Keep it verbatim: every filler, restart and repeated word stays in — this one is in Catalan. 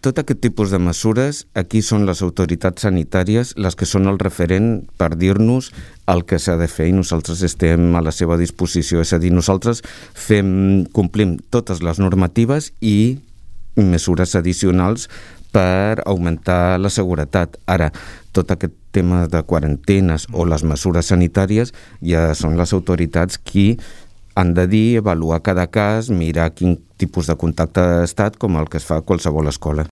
tot aquest tipus de mesures, aquí són les autoritats sanitàries les que són el referent per dir-nos el que s'ha de fer i nosaltres estem a la seva disposició. És a dir, nosaltres fem, complim totes les normatives i mesures addicionals per augmentar la seguretat. Ara, tot aquest tema de quarantenes o les mesures sanitàries ja són les autoritats qui han de dir, avaluar cada cas, mirar quin tipus de contacte ha estat, com el que es fa a qualsevol escola.